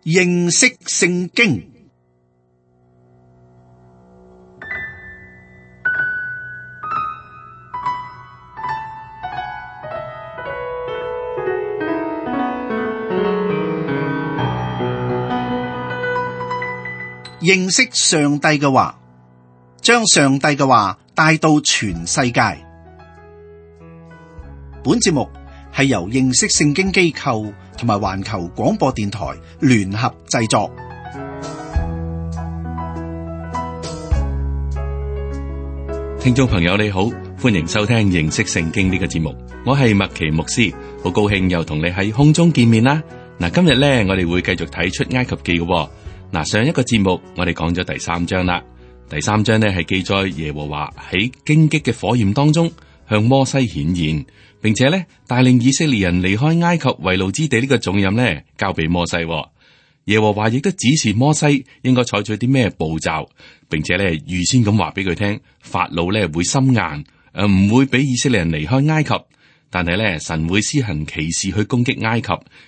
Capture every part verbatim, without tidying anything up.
認識聖經。認識上帝嘅話，將上帝嘅話帶到全世界。本節目係由認識聖經機構同埋環球廣播電台聯合製作。聽眾朋友你好，歡迎收聽認識聖經呢個節目，我係麥奇牧師，好高興又同你喺空中見面啦。嗱，今日咧我哋會繼續睇出埃及記嘅。嗱，上一個節目我哋講咗第三章啦，第三章呢係記載耶和華喺荊棘嘅火焰當中向摩西顯現，並且咧帶領以色列人離開埃及為奴之地呢個重任咧交俾摩西。耶和華亦都指示摩西應該採取啲咩步驟，並且咧預先咁話俾佢聽，法老咧會心硬，誒唔會俾以色列人離開埃及，但係咧神會施行奇事去攻擊埃及，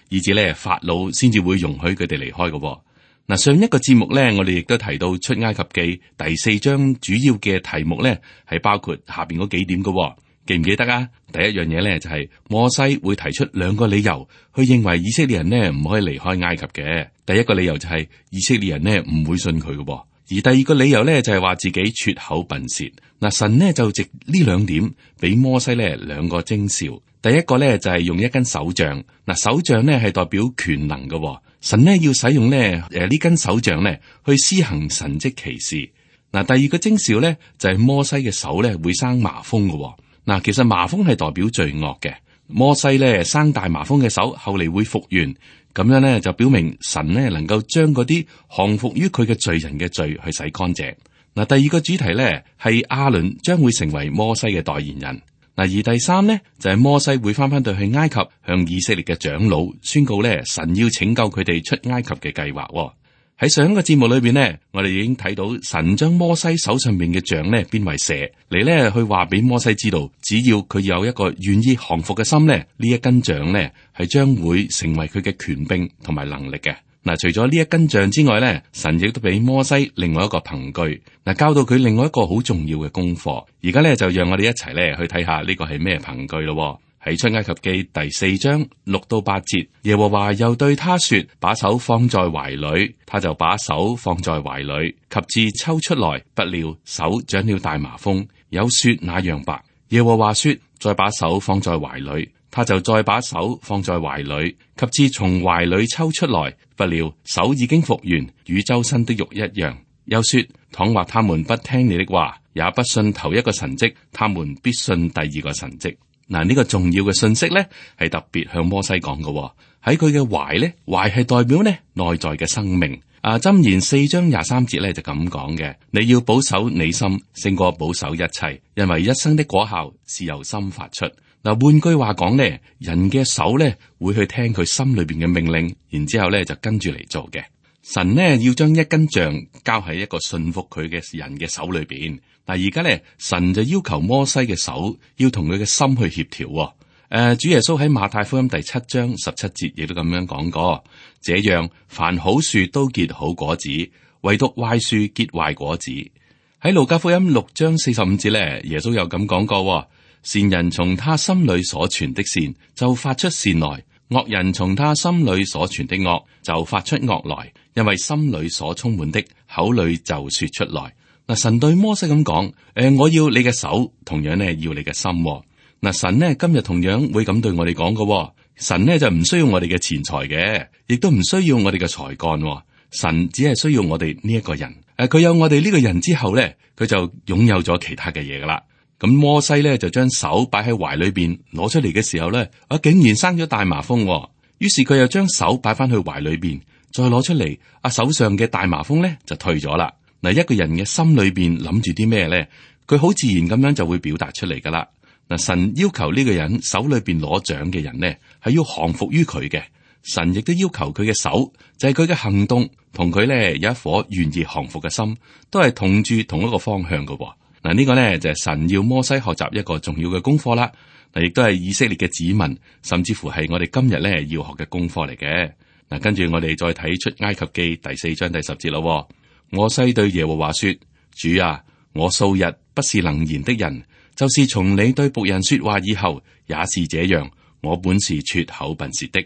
以至咧法老先至會容許佢哋離開嘅。嗱，上一個節目咧，我哋亦都提到出埃及記第四章主要嘅題目咧，係包括下邊嗰幾點嘅，記唔記得啊？第一樣嘢咧就係摩西會提出兩個理由，去認為以色列人呢唔可以離開埃及嘅。第一個理由就係以色列人呢唔會信佢嘅，而第二個理由咧就係話自己拙口笨舌。嗱，神呢就藉呢兩點俾摩西咧兩個徵兆。第一個咧就係用一根手杖，嗱，手杖呢係代表權能嘅。神呢要使用呢誒呢根手杖呢去施行神蹟奇事。嗱，第二個徵兆呢就係摩西嘅手呢會生麻風嘅。嗱，其實麻風係代表罪惡嘅。摩西呢生大麻風嘅手後嚟會復原，咁樣呢就表明神呢能夠將嗰啲降服於佢嘅罪人嘅罪去洗乾淨。嗱，第二個主題呢係亞倫將會成為摩西嘅代言人。嗱，而第三呢，就係、是、摩西會翻翻到去埃及，向以色列嘅長老宣告咧，神要拯救佢哋出埃及嘅計劃。喺上一個節目裏邊呢，我哋已經睇到神將摩西手上面嘅杖咧變為蛇，嚟咧去話俾摩西知道，只要佢有一個願意降服嘅心咧，呢一根杖咧係將會成為佢嘅權柄同埋能力嘅。嗱，除咗呢一根杖之外咧，神亦都俾摩西另外一個憑據，嗱，教到佢另外一個好重要嘅功課。而家咧就讓我哋一齊咧去睇下呢個係咩憑據咯。喺出埃及記第四章六到八節，耶和華又對他說：把手放在懷裏，他就把手放在懷裏，及至抽出來，不料手長了大麻風，有雪那樣白。耶和華說：再把手放在懷裏。他就再把手放在懷裏，及至從懷裏抽出來，不料手已經復原，與周身的肉一樣。又說：倘或他們不聽你的話，也不信頭一個神蹟，他們必信第二個神蹟。嗱，呢個重要嘅信息咧，係特別向摩西講嘅。喺佢嘅懷咧，懷係代表呢內在嘅生命。啊，箴言四章廿三節咧就咁講嘅：你要保守你心，勝過保守一切，因為一生的果效是由心發出。嗱，換句話講咧，人嘅手咧會去聽佢心裏邊嘅命令，然之後咧就跟住嚟做嘅。神呢要將一根杖交喺一個信服佢嘅人嘅手裏邊。嗱，而家咧神就要求摩西嘅手要同佢嘅心去協調。誒、呃，主耶穌喺馬太福音第七章十七節亦都咁樣講過：這樣凡好樹都結好果子，唯獨壞樹結壞果子。喺路加福音六章四十五節咧，耶穌又咁講過。善人從他心裏所存的善就發出善來，惡人從他心裏所存的惡就發出惡來，因為心裏所充滿的口裏就說出來。嗱，神對摩西咁講：誒、呃，我要你嘅手，同樣呢要你嘅心。嗱，神呢今日同樣會咁對我哋講嘅。神呢就唔需要我哋嘅錢財嘅，亦都唔需要我哋嘅才幹。神只係需要我哋呢一個人。誒、呃，佢有我哋呢個人之後咧，佢就擁有咗其他嘅嘢噶啦。咁摩西咧就將手擺喺懷裏邊，攞出嚟嘅時候咧，啊竟然生咗大麻風。於是佢又將手擺翻去懷裏邊，再攞出嚟，啊手上嘅大麻風咧就退咗啦。嗱，一個人嘅心裏邊諗住啲咩咧，佢好自然咁樣就會表達出嚟噶啦。嗱，神要求呢個人手裏邊攞獎嘅人咧，係要降服於佢嘅。神亦都要求佢嘅手，就係佢嘅行動，同佢咧有一顆願意降服嘅心，都係同住同一個方向嘅。嗱，呢個呢就係神要摩西學習一個重要嘅功課啦。嗱，亦都係以色列嘅子民，甚至乎係我哋今日咧要學嘅功課嚟嘅。嗱，跟住我哋再睇出埃及記第四章第十節咯。摩西對耶和華說：主啊，我素日不是能言的人，就是從你對僕人說話以後，也是這樣。我本是拙口笨舌的。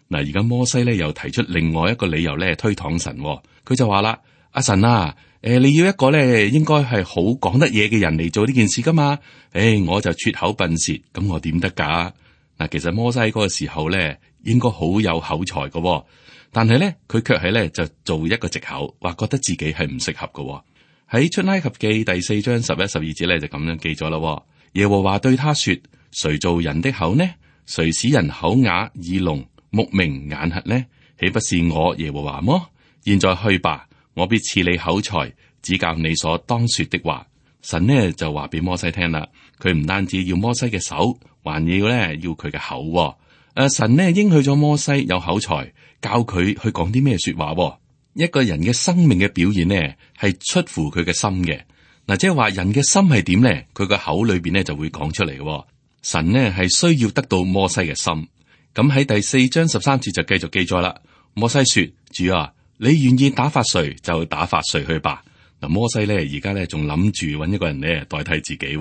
嗱，而家摩西咧又提出另外一個理由咧推搪神，佢就話啦：阿神啊，誒，你要一個咧應該係好講得嘢嘅人嚟做呢件事噶嘛？誒，我就拙口笨舌，咁我點得噶？嗱，其實摩西嗰個時候咧應該好有口才噶。但係咧，佢卻係咧就做一個藉口，話覺得自己係唔適合嘅。喺出埃及記第四章十一、十二節咧就咁樣記咗啦。耶和華對他說：誰造人的口呢？誰使人口啞、耳聾、目明、眼瞎呢？豈不是我耶和華麼？現在去吧，我必賜你口才，指教你所當說的話。神呢就話俾摩西聽啦，佢唔單止要摩西嘅手，還要咧要佢嘅口。誒、啊，神呢應許咗摩西有口才。教佢去講啲咩說話。一個人嘅生命嘅表現呢，係出乎佢嘅心嘅。嗱，即係話人嘅心係點呢？佢個口裏邊呢就會講出嚟嘅。神呢係需要得到摩西嘅心。咁喺第四章十三節就繼續記載啦。摩西說：主啊，你願意打發誰就打發誰去吧。嗱，摩西呢而家呢仲諗住揾一個人呢代替自己。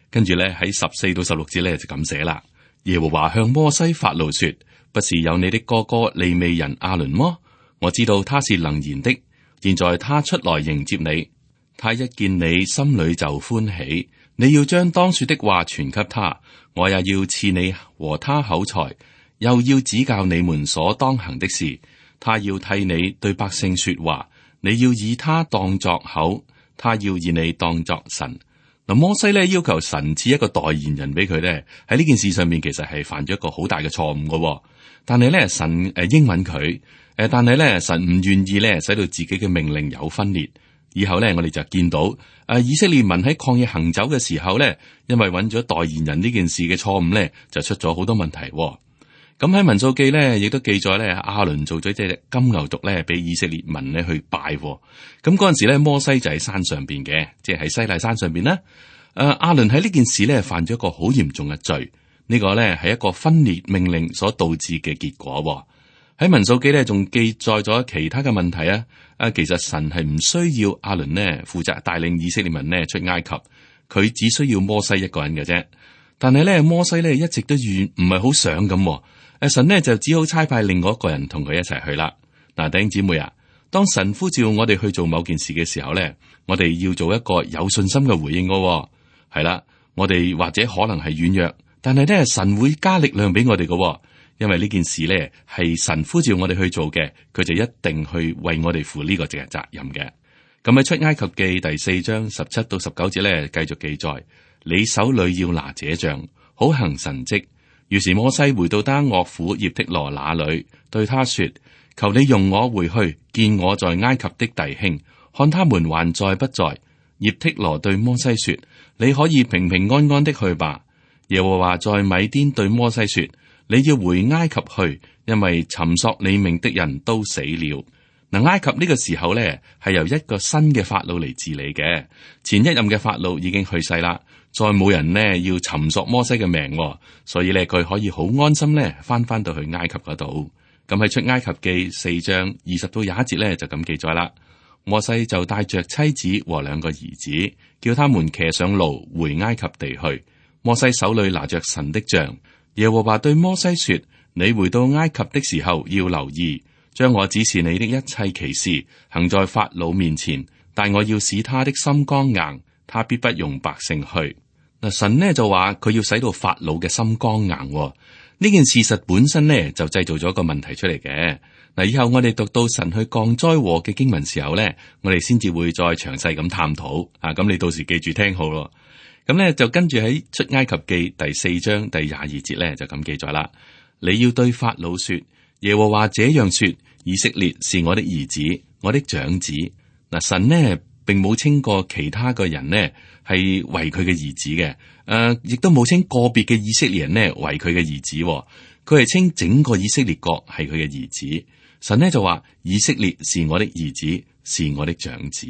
跟住呢喺十四到十六節呢就咁寫啦。耶和華向摩西發怒說：不是有你的哥哥利未人亞倫麼？我知道他是能言的。現在他出來迎接你，他一見你心裏就歡喜。你要將當說的話傳給他，我也要賜你和他口才，又要指教你們所當行的事。他要替你對百姓說話，你要以他當作口，他要以你當作神。嗱，摩西咧要求神賜一個代言人俾佢咧，喺呢件事上面其實係犯咗一個好大嘅錯誤嘅。但係咧神誒應允佢，誒但係咧神唔願意咧使到自己嘅命令有分裂。以後咧我哋就見到誒以色列民喺曠野行走嘅時候咧，因為揾咗代言人呢件事嘅錯誤咧，就出咗好多問題。咁喺民數記咧亦都記載咧，亞倫做咗隻金牛犢咧俾以色列民咧去拜。咁嗰陣時咧摩西就喺山上邊嘅，即係喺西奈山上邊啦。誒亞倫喺呢件事咧犯咗一個好嚴重嘅罪。呢個咧係一個分裂命令所導致嘅結果。喺民數記咧仲記載咗其他嘅問題啊！啊，其實神係唔需要亞倫呢負責帶領以色列民呢出埃及，佢只需要摩西一個人嘅啫。但係咧摩西咧一直都願唔係好想咁，誒神呢就只好差派另外一個人同佢一齊去啦。嗱，弟兄姊妹啊，當神呼召我哋去做某件事嘅時候咧，我哋要做一個有信心嘅回應嘅。係啦，我哋或者可能係軟弱。但係咧，神會加力量俾我哋嘅，因為呢件事咧係神呼召我哋去做嘅，佢就一定去為我哋負呢個嘅責任嘅。咁喺出埃及記第四章十七到十九節咧，繼續記載：你手裏要拿這杖，好行神蹟。於是摩西回到他岳父葉忒羅那裏，對他說：求你容我回去見我在埃及的弟兄，看他們還在不在。葉忒羅對摩西說：你可以平平安安的去吧。耶和華在米甸對摩西說：你要回埃及去，因為尋索你命的人都死了。嗱，埃及呢個時候咧係由一個新嘅法老嚟治理嘅，前一任嘅法老已經去世啦，再冇人呢要尋索摩西嘅命，所以咧佢可以好安心咧翻翻到去埃及嗰度。咁喺出埃及記四章二十到廿一節咧就咁記載啦。摩西就帶着妻子和兩個兒子，叫他們騎上驢回埃及地去。摩西手裏拿着神的杖，耶和華對摩西說：你回到埃及的時候要留意，將我指示你的一切奇事行在法老面前，但我要使他的心剛硬，他必不容百姓去。嗱，神呢就話佢要使到法老嘅心剛硬，呢件事實本身呢就製造咗一個問題出嚟嘅。嗱，以後我哋讀到神去降災禍嘅經文時候呢，我哋先至會再詳細咁探討啊。咁你到時記住聽好咯。咁咧就跟住喺出埃及記第四章第廿二節咧就咁記載啦。你要對法老說：耶和華這樣說，以色列是我的兒子，我的長子。嗱，神呢並冇稱過其他嘅人呢係為佢嘅兒子嘅，誒、呃，亦都冇稱個別嘅以色列人呢為佢嘅兒子，佢係稱整個以色列國係佢嘅兒子。神呢就話：以色列是我的兒子，是我的長子。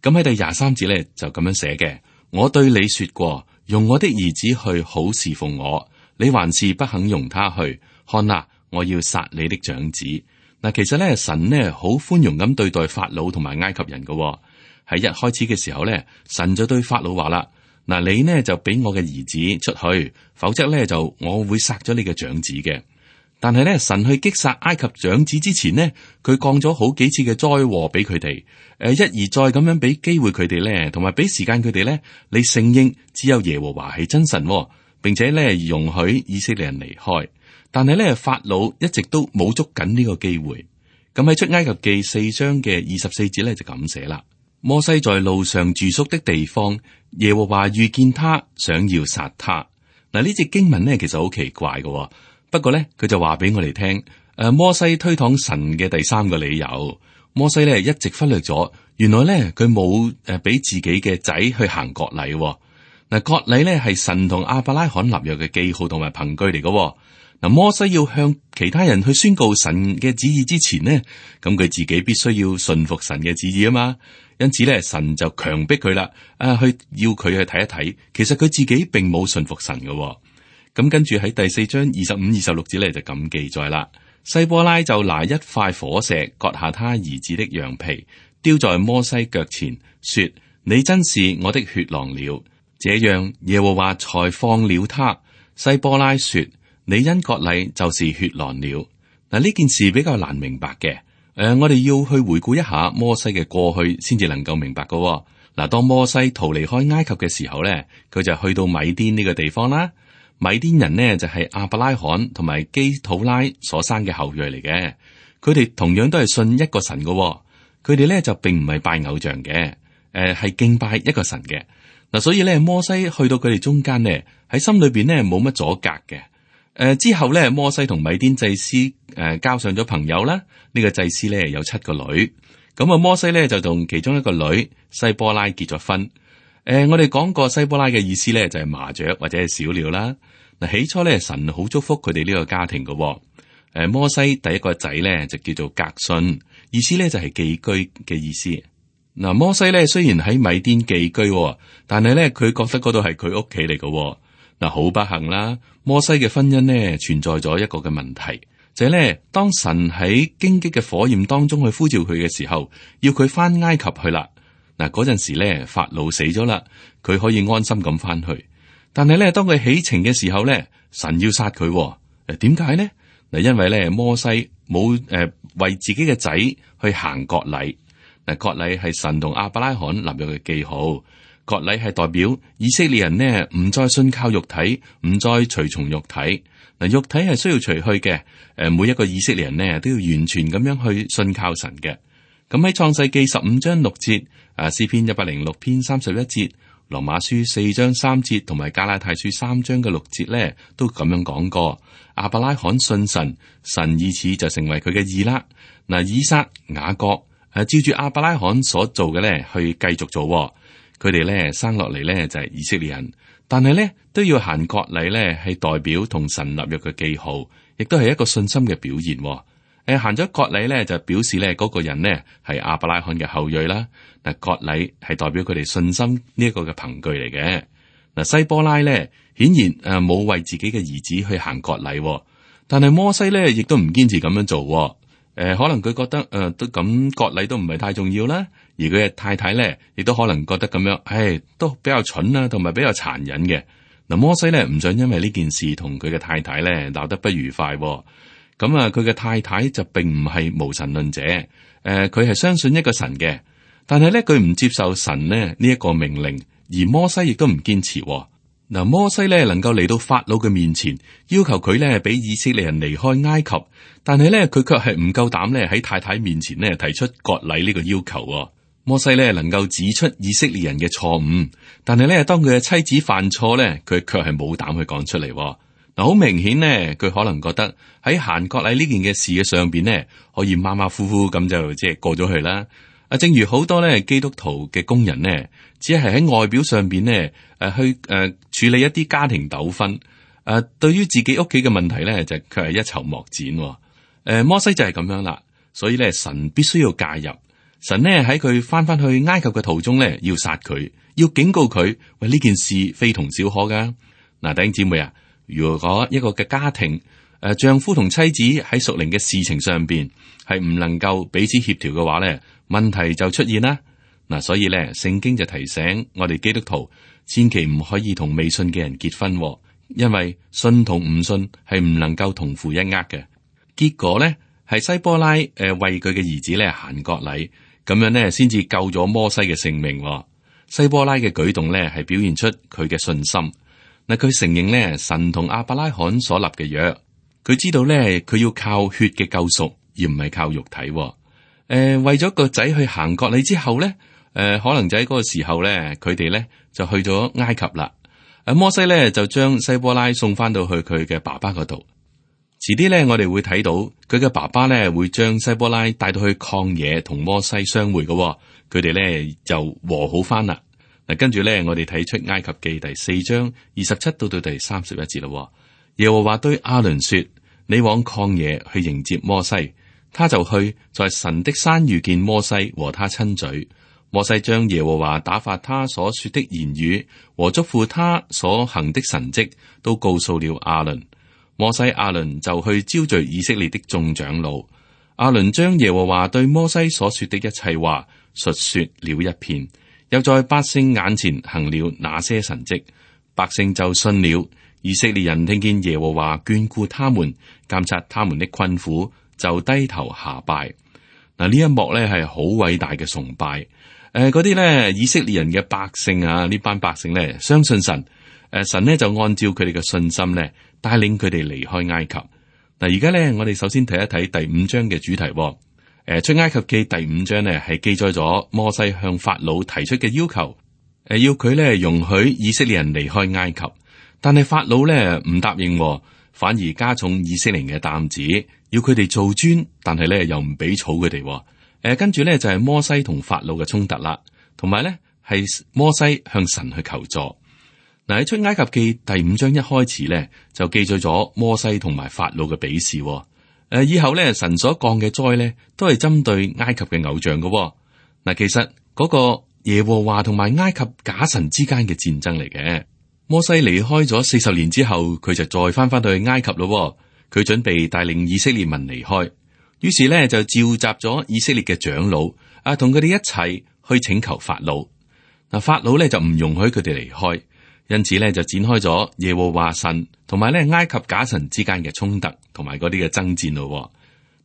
咁喺第廿三節咧就咁樣寫嘅。我對你說過，用我的兒子去好侍奉我，你還是不肯容他去。看哪，我要殺你的長子。嗱，其實咧神呢好寬容咁對待法老同埋埃及人嘅。喺一開始嘅時候咧，神就對法老話啦：嗱，你呢就俾我嘅兒子出去，否則咧就我會殺咗你嘅長子嘅。但係咧，神去擊殺埃及長子之前呢，佢降咗好幾次嘅災禍俾佢哋，誒，一而再咁樣俾機會佢哋咧，同埋俾時間佢哋咧，你承認只有耶和華係真神，並且咧容許以色列人離開。但係咧，法老一直都冇捉緊呢個機會。咁喺出埃及記四章嘅二十四節咧就咁寫啦：摩西在路上住宿的地方，耶和華遇見他，想要殺他。嗱，呢節經文咧其實好奇怪嘅。不過咧，佢就話俾我哋聽，誒，摩西推搪神嘅第三個理由，摩西咧一直忽略咗，原來咧佢冇誒俾自己嘅仔去行割禮。嗱，割禮咧係神同亞伯拉罕立約嘅記號同埋憑據嚟嘅。嗱，摩西要向其他人去宣告神嘅旨意之前呢，咁佢自己必須要順服神嘅旨意啊嘛。因此咧，神就強迫佢啦，啊，去要佢去睇一睇，其實佢自己並冇順服神嘅。咁跟住喺第四章二十五、二十六節咧就咁記載啦。西波拉就拿一塊火石割下他兒子的羊皮，丟在摩西腳前，說：你真是我的血狼了。這樣耶和華才放了他。西波拉說：你因割禮就是血狼了。嗱，呢件事比較難明白嘅。誒、呃，我哋要去回顧一下摩西嘅過去，先至能夠明白嘅、哦。嗱，當摩西逃離開埃及嘅時候咧，佢就去到米甸呢個地方啦。米甸人呢，就係亞伯拉罕同埋基土拉所生嘅後裔嚟嘅，佢哋同樣都係信一個神嘅、哦，佢哋咧就並唔係拜偶像嘅，誒、呃、係敬拜一個神嘅。嗱，所以咧摩西去到佢哋中間呢，喺心裏邊呢冇乜阻隔嘅。誒、呃、之後咧摩西同米甸祭司誒、呃、交上咗朋友啦，呢、這個祭司咧有七個女，咁啊摩西咧就同其中一個女西波拉結咗婚。誒、呃，我哋講過西波拉嘅意思咧，就係麻雀或者係小鳥啦。嗱，起初咧，神好祝福佢哋呢個家庭嘅。誒、呃，摩西第一個仔咧就叫做革順，意思咧就係寄居嘅意思。嗱、呃，摩西咧雖然喺米甸寄居，但係咧佢覺得嗰度係佢屋企嚟嘅。嗱，好不幸啦，摩西嘅婚姻呢存在咗一個嘅問題，就係、是、咧當神喺荊棘嘅火焰當中去呼召佢嘅時候，要佢翻埃及去啦。嗱，嗰陣時咧，法老死咗啦，佢可以安心咁翻去。但係咧，當佢起程嘅時候咧，神要殺佢。誒，點解呢？嗱，因為咧，摩西冇誒、呃、為自己嘅仔去行割禮。嗱，割禮係神同亞伯拉罕立約嘅記號。割禮係代表以色列人呢唔再信靠肉體，唔再隨從肉體。嗱，肉體係需要除去嘅。誒，每一個以色列人呢都要完全咁樣去信靠神嘅。咁喺創世記十五章六節。啊，詩篇一百零六篇三十一節，羅馬書四章三節，同埋加拉太書三章嘅六節咧，都咁樣講過。亞伯拉罕信神，神以此就成為佢嘅義啦。嗱，以撒、雅各，誒、啊，照住亞伯拉罕所做嘅咧，去繼續做。佢哋咧生落嚟咧就係以色列人，但係咧都要行割禮咧，係代表同神立約嘅記號，亦都係一個信心嘅表現。誒，行咗割禮咧，就表示咧嗰個人呢係亞伯拉罕嘅後裔啦。嗱，割禮係代表佢哋信心呢一個嘅憑據嚟嘅。嗱，西波拉咧顯然誒冇為自己嘅兒子去行割禮，但係摩西咧亦都唔堅持咁樣做。誒、呃，可能佢覺得誒、呃、都咁割禮都唔係太重要啦。而佢嘅太太咧亦都可能覺得咁樣，唉，都比較蠢啦，同埋比較殘忍嘅。嗱，摩西咧唔想因為呢件事同佢嘅太太咧鬧得不愉快。咁啊，佢嘅太太就並唔係無神論者，誒、呃，佢係相信一個神嘅，但係咧佢唔接受神咧呢一個命令，而摩西亦都唔堅持。嗱，摩西咧能夠嚟到法老嘅面前，要求佢咧俾以色列人離開埃及，但係咧佢卻係唔夠膽咧喺太太面前咧提出割禮呢個要求。摩西咧能夠指出以色列人嘅錯誤，但係咧當佢嘅妻子犯錯咧，佢卻係冇膽去講出嚟。嗱，好明顯呢，佢可能覺得喺行割禮呢件嘅事嘅上邊呢，可以馬馬虎虎咁就即係過咗去啦。啊，正如好多咧基督徒嘅工人呢，只係喺外表上邊呢誒去誒、呃、處理一啲家庭糾紛，誒、呃、對於自己屋企嘅問題咧就佢係一籌莫展。誒、呃，摩西就係咁樣啦，所以咧神必須要介入。神呢喺佢翻翻去埃及嘅途中咧，要殺佢，要警告佢，喂，呢件事非同小可噶。嗱、呃，弟兄姊妹啊。如果一個嘅家庭，誒，丈夫同妻子喺屬靈嘅事情上邊係唔能夠彼此協調嘅話咧，問題就出現啦。嗱，所以咧，聖經就提醒我哋基督徒，千祈唔可以同未信嘅人結婚，因為信同唔信係唔能夠同負一軛嘅。結果咧，係西波拉誒為佢嘅兒子咧行割禮，咁樣咧先至救咗摩西嘅性命。西波拉嘅舉動咧係表現出佢嘅信心。嗱，佢承認咧神同亞伯拉罕所立嘅約。佢知道咧，佢要靠血嘅救贖，而唔係靠肉體。誒、呃，為咗個仔去行割禮之後咧，誒、呃，可能就喺嗰個時候咧，佢哋咧就去咗埃及啦。誒，摩西咧就將西波拉送翻到去佢嘅爸爸嗰度。遲啲咧，我哋會睇到佢嘅爸爸咧會將西波拉帶到去曠野同摩西相會嘅。佢哋咧就和好翻啦。嗱，跟住咧，我哋睇出埃及記第四章二十七到到第三十一節啦。耶和華對亞倫說：你往曠野去迎接摩西，他就去，在神的山遇見摩西，和他親嘴。摩西將耶和華打發他所說的言語和囑咐他所行的神蹟都告訴了亞倫。摩西亞倫就去招聚以色列的眾長老。亞倫將耶和華對摩西所說的一切話述說了一遍，又在百姓眼前行了那些神蹟，百姓就信了。以色列人聽見耶和華眷顧他們，監察他們的困苦，就低頭下拜。嗱，呢一幕咧係好偉大嘅崇拜。誒，嗰啲咧以色列人嘅百姓啊，呢班百姓咧相信神。誒，神咧就按照佢哋嘅信心咧帶領佢哋離開埃及。嗱，而家咧我哋首先睇一睇第五章嘅主題。誒，出埃及記第五章咧係記載咗摩西向法老提出嘅要求，誒，要佢咧容許以色列人離開埃及。但係法老咧唔答應，反而加重以色列人嘅擔子，要佢哋做磚，但係咧又唔俾草佢哋。誒、呃，跟住咧就係、是、摩西同法老嘅衝突啦，同埋咧係摩西向神去求助。嗱，喺出埃及記第五章一開始咧就記載咗摩西同埋法老嘅比試。誒、呃，以後咧神所降嘅災咧都係針對埃及嘅偶像嘅。嗱，其實嗰個耶和華同埋埃及假神之間嘅戰爭嚟嘅。摩西離開咗四十年之後，佢就再翻翻到去埃及咯。佢準備帶領以色列民離開，於是咧就召集咗以色列嘅長老啊，同佢哋一齊去請求法老。嗱，法老咧就唔容許佢哋離開，因此咧就展開咗耶和華神同埋咧埃及假神之間嘅衝突同埋嗰啲嘅爭戰咯。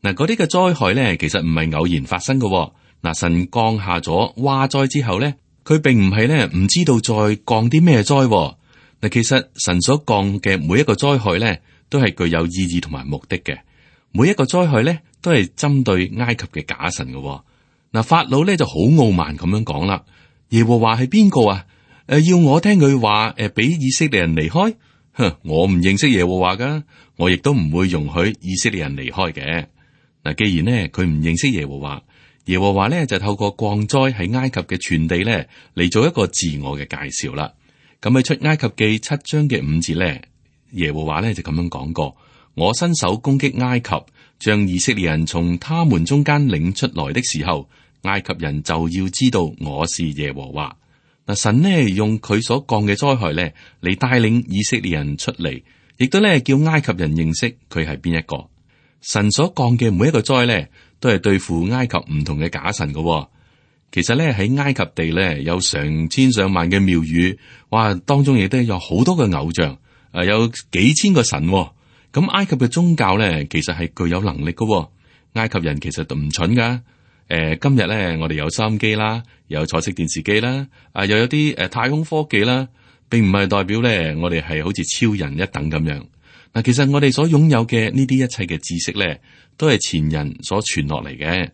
嗱，嗰啲嘅災害咧其實唔係偶然發生嘅。嗱，神降下咗蛙災之後咧，佢並唔係咧唔知道再降啲咩災。嗱，其實神所降嘅每一個災害咧，都係具有意義同埋目的嘅。每一個災害咧，都係針對埃及嘅假神嘅。嗱，法老咧就好傲慢咁樣講啦：耶和華係邊個啊？誒，要我聽佢話誒，俾以色列人離開？哼，我唔認識耶和華噶，我亦都唔會容許以色列人離開嘅。嗱，既然呢，佢唔認識耶和華，耶和華咧就透過降災喺埃及嘅全地咧嚟做一個自我嘅介紹啦。咁喺出埃及記七章嘅五節咧，耶和華咧就咁樣講過：我伸手攻擊埃及，將以色列人從他們中間領出來的時候，埃及人就要知道我是耶和華。嗱，神呢用佢所降嘅災害咧嚟帶領以色列人出嚟，亦都咧叫埃及人認識佢係邊一個。神所降嘅每一個災咧，都係對付埃及唔同嘅假神嘅。其實咧喺埃及地咧有成千上萬嘅廟宇，哇，當中亦都有好多嘅偶像，誒，有幾千個神。咁埃及嘅宗教咧，其實係具有能力嘅。埃及人其實都唔蠢噶。誒，今日咧我哋有收音機啦，有彩色電視機啦，啊，又有啲誒太空科技啦，並唔係代表咧我哋係好似超人一等咁樣。嗱，其實我哋所擁有嘅呢啲一切嘅知識咧，都係前人所傳落嚟嘅。誒、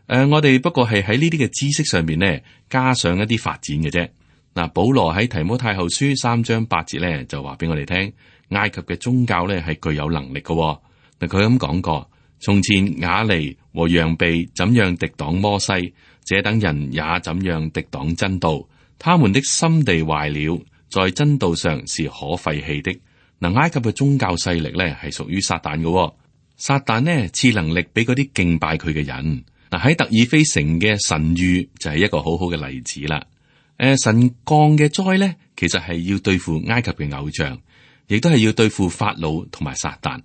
呃，我哋不過係喺呢啲嘅知識上面咧，加上一啲發展嘅啫。嗱，保羅喺提摩太後書三章八節咧，就話俾我哋聽，埃及嘅宗教咧係具有能力嘅。嗱，佢咁講過，從前雅尼和羊臂怎樣敵擋摩西，這等人也怎樣敵擋真道。他們的心地壞了，在真道上是可廢棄的。嗱，埃及嘅宗教勢力咧係屬於撒旦嘅。撒旦呢賜能力俾嗰啲敬拜佢嘅人。嗱，喺特爾菲城嘅神諭就係一個好好嘅例子啦。誒、呃，神降嘅災咧，其實係要對付埃及嘅偶像，亦都係要對付法老同埋撒旦。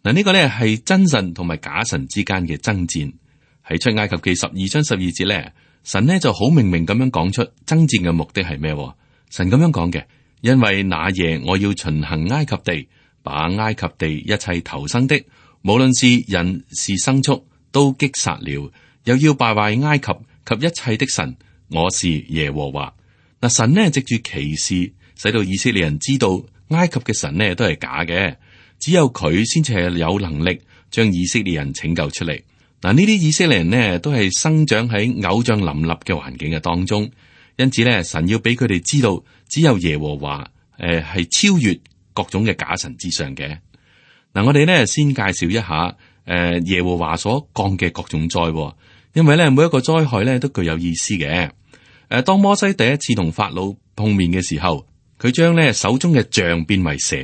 嗱，呢個咧係真神同埋假神之間嘅爭戰。喺出埃及記十二章十二節咧，神呢就好明明咁樣講出爭戰嘅目的係咩？神咁樣講嘅，因為那夜我要巡行埃及地，把埃及地一切投生的，無論是人是牲畜，都擊殺了，又要敗壞埃及及一切的神，我是耶和華。嗱，神呢藉住奇事，使到以色列人知道埃及嘅神呢都係假嘅，只有佢先至係有能力將以色列人拯救出嚟。嗱，呢啲以色列人呢都係生長喺偶像林立嘅環境嘅當中，因此咧，神要俾佢哋知道，只有耶和華誒係超越各種嘅假神之上嘅。嗱，我哋咧先介紹一下誒、呃、耶和華所降嘅各種災，因為咧每一個災害咧都具有意思嘅。誒、呃，當摩西第一次同法老碰面嘅時候，佢將咧手中嘅杖變為蛇。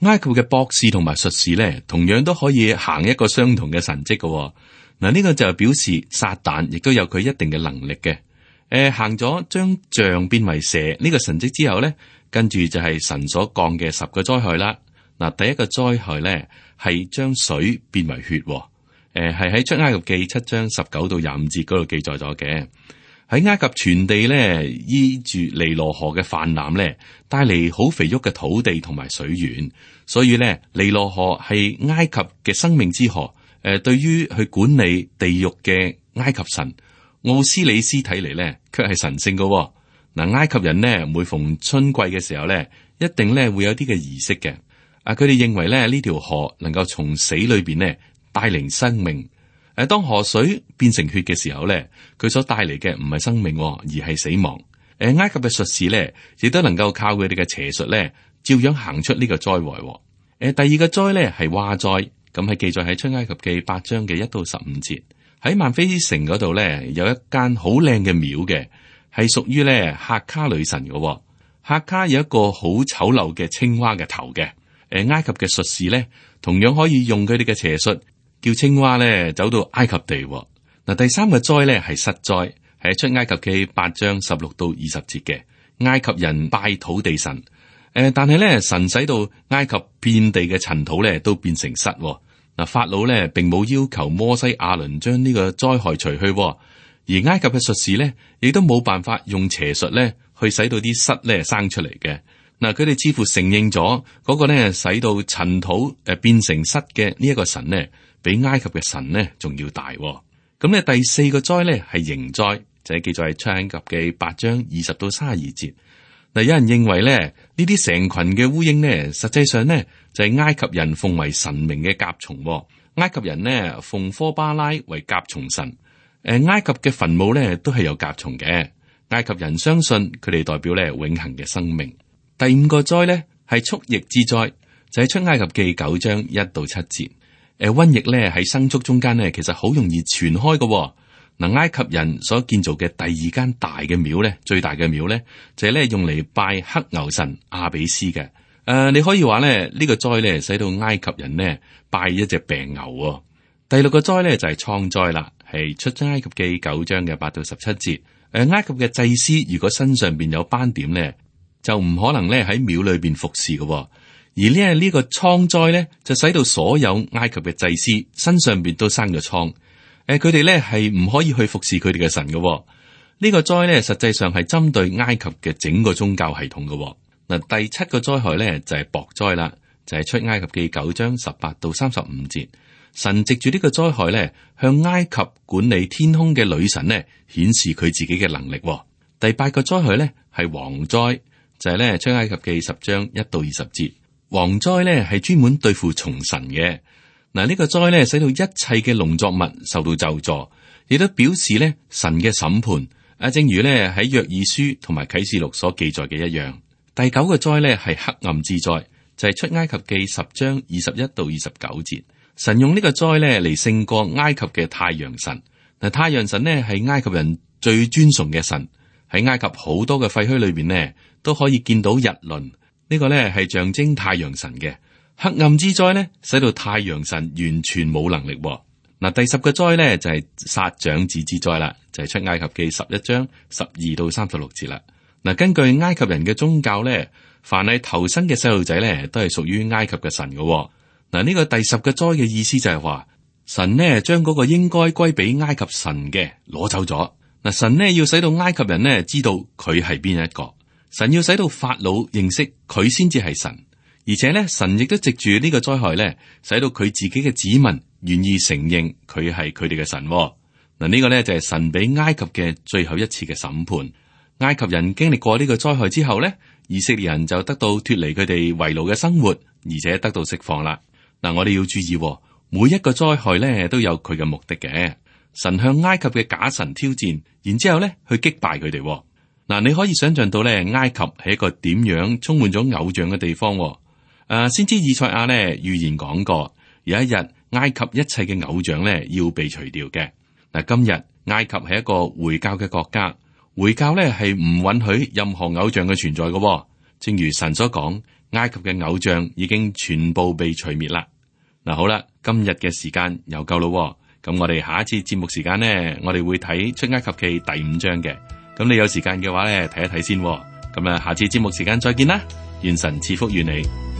埃及嘅博士同埋術士咧，同樣都可以行一個相同嘅神蹟嘅。嗱，呢個就表示撒旦亦都有佢一定嘅能力嘅。誒、呃，行咗將杖變為蛇呢個神蹟之後咧，跟住就係神所降嘅十個災害啦。嗱，第一個災害咧係將水變為血。誒、呃，係喺出埃及記七章十九到廿五節嗰度記載咗嘅。喺埃及全地咧，依住尼羅河嘅泛濫咧，帶嚟好肥沃嘅土地同埋水源，所以咧尼羅河係埃及嘅生命之河。誒、呃，對於去管理地獄嘅埃及神奧斯里斯睇嚟咧，卻係神聖嘅。嗱，埃及人呢，每逢春季嘅時候咧，一定咧會有啲嘅儀式嘅。啊，佢哋認為咧呢條河能夠從死裏邊咧帶嚟生命。誒，當河水變成血嘅時候咧，佢所帶嚟嘅唔係生命，而係死亡。誒，埃及嘅術士咧，亦都能夠靠佢哋嘅邪術咧，照樣行出呢個災禍。誒，第二個災咧係蛙災，咁係記載喺出埃及記八章嘅一到十五節。喺曼菲城嗰度咧，有一間好靚嘅廟嘅，係屬於咧赫卡女神嘅。赫卡有一個好醜陋嘅青蛙嘅頭嘅。誒，埃及嘅術士咧，同樣可以用佢哋嘅邪術，叫青蛙咧走到埃及地。嗱，第三個災咧係失災，係出埃及記八章十六到二十節嘅。埃及人拜土地神，誒，但係咧神使到埃及遍地嘅塵土咧都變成虱。嗱，法老咧並冇要求摩西亞倫將呢個災害除去，而埃及嘅術士咧亦都冇辦法用邪術咧去使到啲虱咧生出嚟嘅。嗱，佢哋似乎承認咗嗰個咧使到塵土誒變成虱嘅呢一個神咧，比埃及嘅神咧仲要大。咁咧第四個災咧係刑災，就係記載喺出埃及記八章二十到三十二節。嗱，有人認為咧呢啲成群嘅烏蠅咧，實際上咧就係埃及人奉為神明嘅甲蟲。埃及人呢奉科巴拉為甲蟲神。誒，埃及嘅墳墓咧都係有甲蟲嘅。埃及人相信佢哋代表咧永恆嘅生命。第五個災咧係畜疫之災，就係出埃及記九章一到七節。誒，瘟疫咧喺牲畜中間咧，其實好容易傳開嘅。嗱，埃及人所建造嘅第二間大嘅廟咧，最大嘅廟咧，就係咧用嚟拜黑牛神阿比斯嘅。誒、呃，你可以話咧呢個災咧，使到埃及人呢拜一隻病牛。第六個災咧就係瘡災啦，係出埃及記九章嘅八到十七節。誒、呃，埃及嘅祭司如果身上邊有斑點咧，就唔可能咧喺廟裏邊服侍嘅。而呢呢個瘡災咧，就使到所有埃及嘅祭司身上邊都生咗瘡。誒、呃，佢哋咧係唔可以去服侍佢哋嘅神嘅。呢、這個災咧，實際上係針對埃及嘅整個宗教系統嘅。嗱，第七個災害咧就係雹災啦，就係、是、出埃及記九章十八到三十五節。神藉住呢個災害咧，向埃及管理天空嘅女神咧，顯示佢自己嘅能力。第八個災害咧係蝗災，就係咧出埃及記十章一到二十節。蝗災咧係專門對付蟲神嘅。嗱，呢個災咧使到一切嘅農作物受到咒詛，亦都表示咧神嘅審判。啊，正如咧喺約珥書同埋啟示錄所記載嘅一樣。第九個災咧係黑暗之災，就係出埃及記十章二十一到二十九節。神用呢個災咧嚟勝過埃及嘅太陽神。嗱，太陽神咧係埃及人最尊崇嘅神，喺埃及好多嘅廢墟裏邊咧都可以見到日輪。呢個咧係象徵太陽神嘅。黑暗之災咧，使到太陽神完全冇能力。嗱，第十個災咧就係殺長子之災啦，就係出埃及記十一章十二到三十六節啦。嗱，根據埃及人嘅宗教咧，凡係頭生嘅細路仔咧，都係屬於埃及嘅神嘅。嗱，呢個第十個災嘅意思就係話，神呢將嗰個應該歸俾埃及神嘅攞走咗。嗱，神呢要使到埃及人呢知道佢係邊一個，神要使到法老認識佢先至係神，而且呢，神亦都藉住呢個災害呢，使到佢自己嘅子民願意承認佢係佢哋嘅神。嗱，呢個呢就係神俾埃及嘅最後一次嘅審判。埃及人經歷過呢個災害之後呢，以色列人就得到脫離佢哋為奴嘅生活，而且得到釋放啦。嗱，我哋要注意，每一個災害呢都有佢嘅目的嘅。神向埃及嘅假神挑戰，然之後咧去擊敗佢哋。嗱，你可以想象到咧，埃及係一個點樣充滿咗偶像嘅地方。誒、啊，先知以賽亞咧預言講過，有一日埃及一切嘅偶像咧要被除掉嘅。嗱，今日埃及係一個回教嘅國家，回教咧係唔允許任何偶像嘅存在嘅。正如神所講，埃及嘅偶像已經全部被除滅啦。嗱，好啦，今日嘅時間又夠咯。咁我哋下一次節目時間呢，我哋會睇出埃及記第五章嘅。咁你有時間嘅話咧，睇一睇先。咁啊，下次節目時間再見啦，願神賜福於你。